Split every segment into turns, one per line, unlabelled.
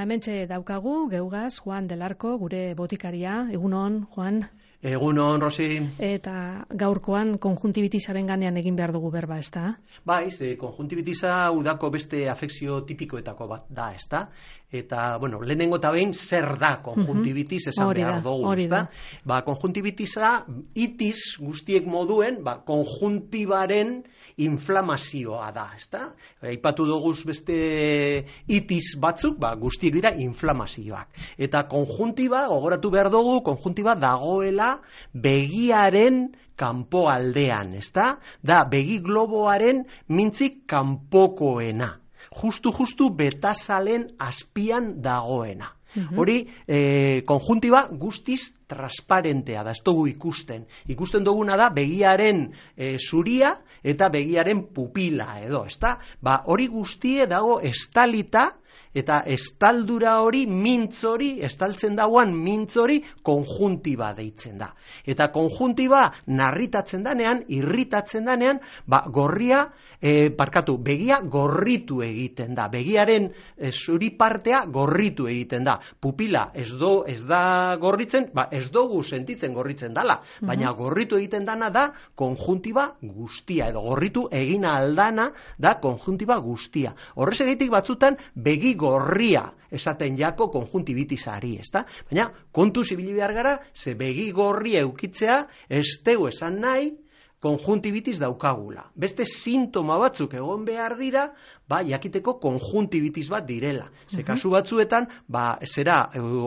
hementxe daukagu, geugaz, Juan del Arco, gure botikaria. Egunon, Juan.
Egunon, Rosi.
Eta gaurkoan konjuntibitisaren ganean egin behar dugu berba, ezta?
Baiz, konjuntibitisa udako beste afekzio tipikoetako bat da, ezta? Eta, bueno, lehenengo eta behin zer da konjuntibitis esan behar dugu, ezta? Ba, konjuntibitisa itis guztiek moduen, konjuntibaren inflamazioa da, ezta? Aipatu dugu beste itis batzuk, guztiek dira inflamazioak. Eta konjuntiba, gogoratu behar dugu, konjuntiba dagoela begiaren kanpo aldean, ezta? Da, begi globoaren mintzik kanpokoena. Justu betazalen azpian dagoena. Hori, konjuntiba guztiz transparentea da, ez dugu ikusten. Ikusten duguna da begiaren zuria eta begiaren pupila edo, ezta? Hori guztie dago estalita, eta estaldura hori, mintz hori, estaltzen dauan mintz hori konjuntiba deitzen da. Eta konjuntiba narritatzen danean, irritatzen danean, begia gorritu egiten da. Begiaren zuri partea gorritu egiten da. Pupila ez da gorritzen, ez dugu sentitzen gorritzen dala, baina gorritu egiten dana da konjuntiba guztia, edo gorritu egin aldana da konjuntiba guztia. Horrexegatik batzutan begi gorria esaten jako konjuntibitisari, ezta? Baina kontuz ibili behar gara, ze begi gorria eukitzea ez tegu esan nahi konjuntibitis daukagula. Beste sintoma batzuk egon behar dira, jakiteko konjuntibitis bat direla. Ze kasu batzuetan,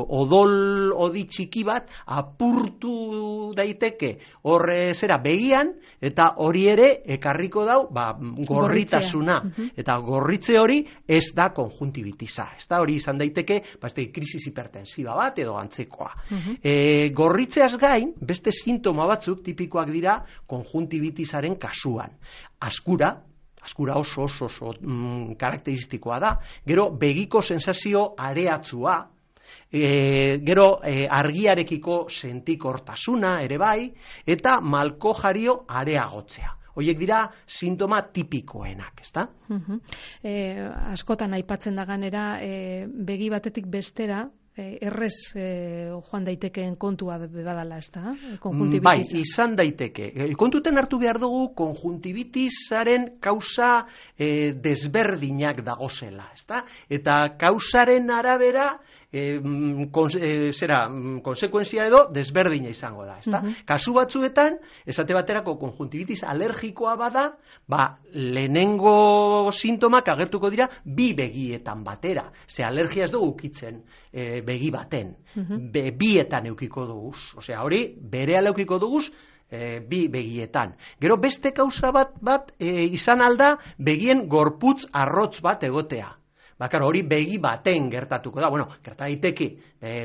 odol odi txiki bat apurtu daiteke horre begian, eta hori ere ekarriko dau gorritasuna. Eta gorritze hori ez da konjuntibitisa. Ez da hori izan daiteke, krisis hipertensiba bat edo antzekoa. Gorritzeaz gain, beste sintoma batzuk tipikoak dira konjuntibitisaren kasuan. Askura oso karakteristikoa da. Gero begiko sensazio areatzua, gero argiarekiko sentikortasuna ere bai, eta malko jario areagotzea. Horiek dira sintoma tipikoenak, ezta?
Askotan aipatzen da ganera, begi batetik bestera, errez joan daitekeen kontua badala, ez da?
Bai, izan daiteke. Kontuten hartu behar dugu konjuntibitisaren kausa desberdinak dagozela, ez da? Eta kausaren arabera konsekuentzia edo desberdina izango da, ez da? Kasu batzuetan, esate baterako konjuntibitis alergikoa bada, lehenengo sintomak agertuko dira bi begietan batera. Ze alergia ez dugu ukitzen begi baten, bietan eukiko duguz. Osea, hori berehala eukiko duguz bi begietan. Gero beste kausa bat izan alda begien gorputz arrotz bat egotea. Hori begi baten gertatuko da. Gerta daiteke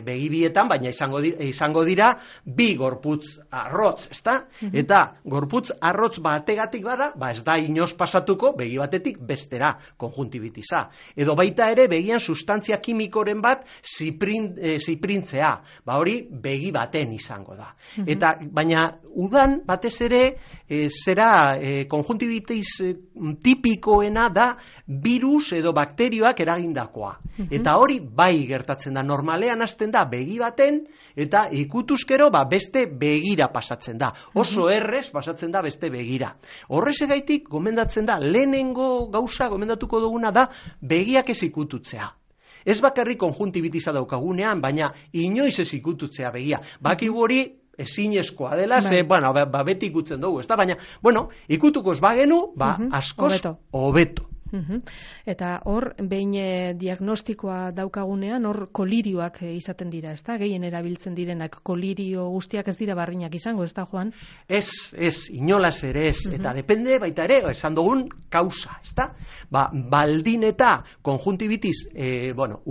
begi bietan, baina izango dira bi gorputz arrotz, ezta? Eta gorputz arrotz bategatik bada, ez da inoz pasatuko begi batetik bestera konjuntibitisa. Edo baita ere begian sustantzia kimikoren bat ziprintzea. Hori begi baten izango da. Eta baina udan batez ere konjuntibitis tipikoena da virus edo bakterioak eragindakoa. Eta hori bai gertatzen da. Normalean hasten da begi baten eta ikutuzkero beste begira pasatzen da. Oso errez pasatzen da beste begira. Horrexegaitik gomendatzen da, lehenengo gauza gomendatuko duguna da begiak ez ikututzea. Ez bakarrik konjuntibitisa daukagunean, baina inoiz ez ikututzea begia. Bakigu hori ezinezkoa dela, beti ikutzen dugu, baina, ikutuko ez bagenu, askoz hobeto.
Eta hor, behin diagnostikoa daukagunean, hor kolirioak izaten dira, ez da? Gehien erabiltzen direnak, kolirio guztiak ez dira barrinak izango, ez da, Juan?
Ez, inolaz ere ez, eta depende baita ere, esan dugun kausa, ez da? Baldin eta konjuntibitis,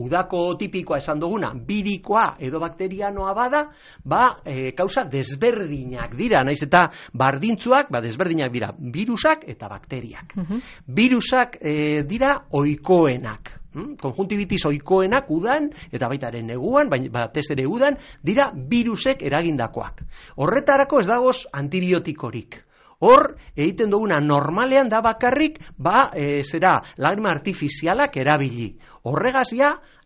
udako tipikoa esan duguna, birikoa edo bakterianoa bada, kausa desberdinak dira, naiz eta bardintzuak, desberdinak dira, virusak eta bakteriak. Virusak dira ohikoenak. Konjuntibitis ohikoenak udan, eta baita ere neguan, batez ere udan, dira virusek eragindakoak. Horretarako ez dagoz antibiotikorik. hor egiten duguna normalean da bakarrik lagrima artifizialak erabili. Horregaz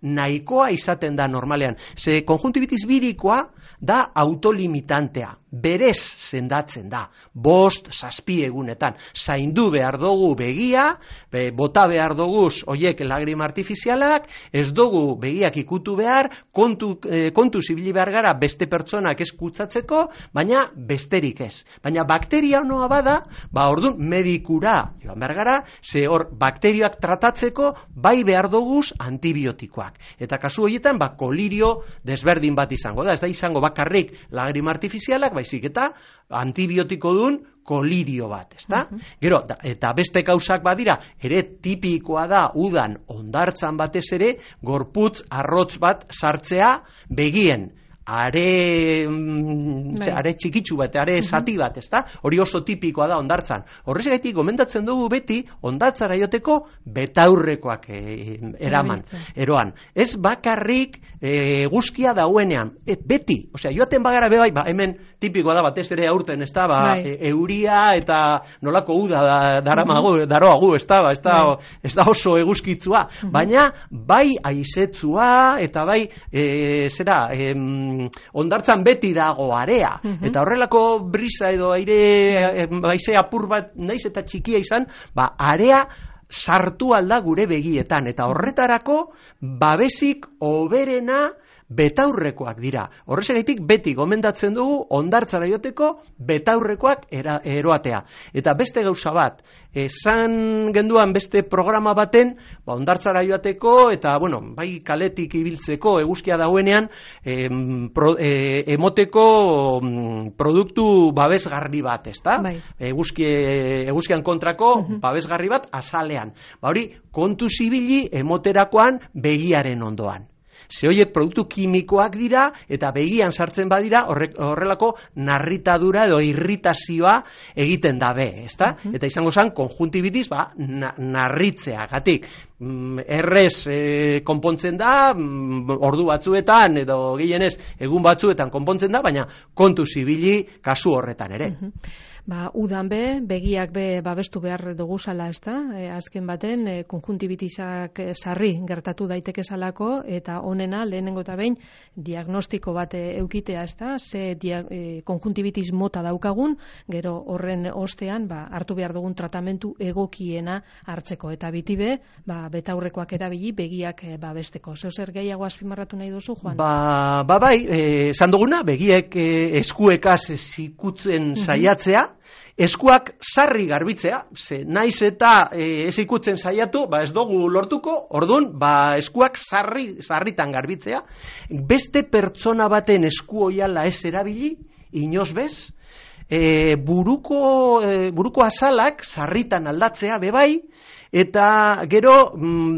nahikoa izaten da normalean. Ze konjuntibitis birikoa da autolimitantea. Berez sendatzen da. 5-7 egunetan. Zaindu behar dugu begia, bota behar dugu oiek lagrima artifizialak, ez dugu begiak ikutu behar, kontu zibili behar gara beste pertsonak ez kutsatzeko, baina besterik ez. Baina bakteria honoa bada, orduan medikura joan behar gara, ze hor bakterioak tratatzeko bai behar dugu antibiotikoak. Eta kasu horietan, kolirio desberdin bat izango da. Ez da izango bakarrik lagrima artifizialak, baizik eta antibiotiko dun kolirio bat, ezta? Gero, eta beste kausak badira, ere tipikoa da udan hondartzan batez ere, gorputz arrotz bat sartzea begien. Are txikitsu bat, are zati bat, ezta? Hori oso tipikoa da hondartzan. Horrexegatik gomendatzen dugu beti hondartzara joteko betaurrekoak eroan. Ez bakarrik eguzkia dauenean, beti. Osea, joaten bagara bebai, hemen tipikoa da batez ere aurten, ezta? Euria eta nolako uda daroagu, ezta? Ez da oso eguzkitzua. Baina, bai aizetzua eta bai, hondartzan beti dago area, eta horrelako brisa edo aire baize apur bat naiz eta txikia izan, area sartu alda gure begietan, eta horretarako babesik hoberena betaurrekoak dira. Horrexegatik beti gomendatzen dugu hondartzara joteko betaurrekoak eroatea. Eta beste gauza bat, esan genduan beste programa baten, hondartzara joateko eta, bai kaletik ibiltzeko eguzkia dauenean, emoteko produktu babesgarri bat, ezta? Eguzkian kontrako babesgarri bat azalean. Hori, kontu zibili emoterakoan begiaren ondoan. Ze horiek produktu kimikoak dira eta begian sartzen badira horrelako narritadura edo irritazioa egiten dabe, ezta? Eta izango zen konjuntibitis narritzea, gatik. Errez konpontzen da, ordu batzuetan edo gehienez egun batzuetan konpontzen da, baina kontu zibili kasu horretan ere.
Udan begiak babestu behar duguzala, ezta? Azken baten, konjuntibitisak sarri gertatu daiteke salako, eta honena, lehenengo eta behin, diagnostiko bat eukitea, ezta? Ze konjuntibitis mota daukagun, gero horren ostean, hartu behar dugun tratamentu egokiena hartzeko. Eta bitibe, betaurrekoak erabili, begiak babesteko. Zeu zer gehiago azpimarratu nahi duzu, Juan?
Esan duguna, begiek eskuekaz zikutzen saiatzea, eskuak sarri garbitzea, naiz eta ez ikutzen saiatu, ez dugu lortuko, orduan, eskuak sarritan garbitzea, beste pertsona baten esku oiala ez erabili, inoz bez, buruko azalak sarritan aldatzea bebai, eta gero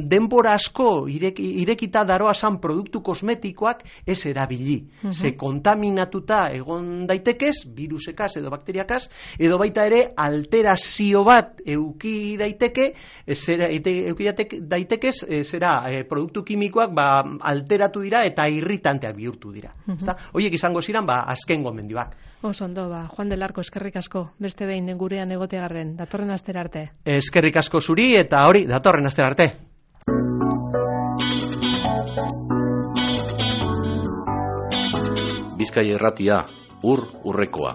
denbora asko irekita daroazan produktu kosmetikoak ez erabili. Ze kontaminatuta egon daitekez, virusekaz edo bakteriakaz, edo baita ere alterazio bat euki daitekez, produktu kimikoak alteratu dira eta irritanteak bihurtu dira. Horiek izango ziren azken gomendioak.
Ondo, Juan del Arco, eskerrik asko, beste behin gurean egotegarren, datorren astera arte.
Eskerrik asko zuri eta hori, datorren astera arte.
Bizkaia Irratia, urrekoa.